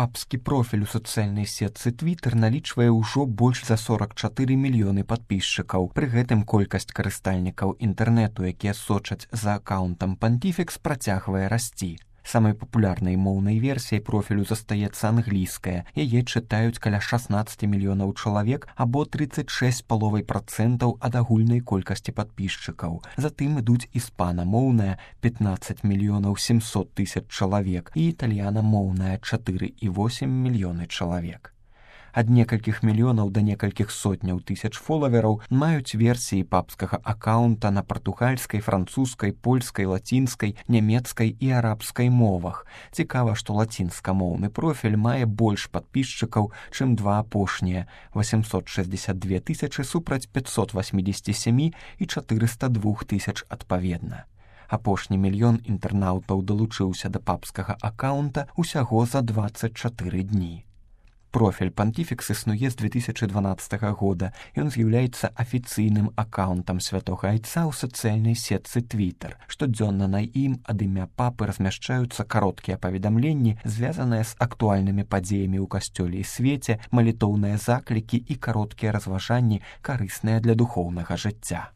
Папскі профіль у сацыяльнай сетцы Twitter налічвае ўжо больш за 44 мільёны падпісчыкаў. Пры гэтым колькасць карыстальнікаў інтэрнэту, якія сочаць за акаунтам Пантифікс, працягвае расці. Самай папулярнай моўнай версіяй профілю застаецца англійская. Яе чытаюць каля 16 мільёнаў чалавек або 36,5% ад агульнай колькасці падпісчыкаў. Затым ідуць іспанамоўная 15 мільёнаў 700 тысяч чалавек і італьянамоўная 4,8 мільёны чалавек. Ад некалькіх мільёнаў да некалькіх сотняў тысяч фолавераў маюць версіі папскага акаунта на партугальскай, французскай, польскай, лацінскай, нямецкай і арабскай мовах. Цікава, што лацінскамоўны профіль мае больш падпісчыкаў, чым два апошнія – 862 тысячы супраць 587 і 402 тысяч адпаведна. Апошні мільён інтэрнаўтаў далучыўся да папскага акаунта ўсяго за 24 дні. Профіль Пантифікс існуе з 2012 года. Ён з'яўляецца афіцыйным акаунтам святога айца ў сацыяльнай сетцы Twitter. Штодзённа на ім ад імя папы размяшчаюцца кароткія паведамленні, звязаныя з актуальнымі падзеямі ў касцёле і свеце, малітоўныя заклікі і кароткія разважанні, карысныя для духоўнага жыцця.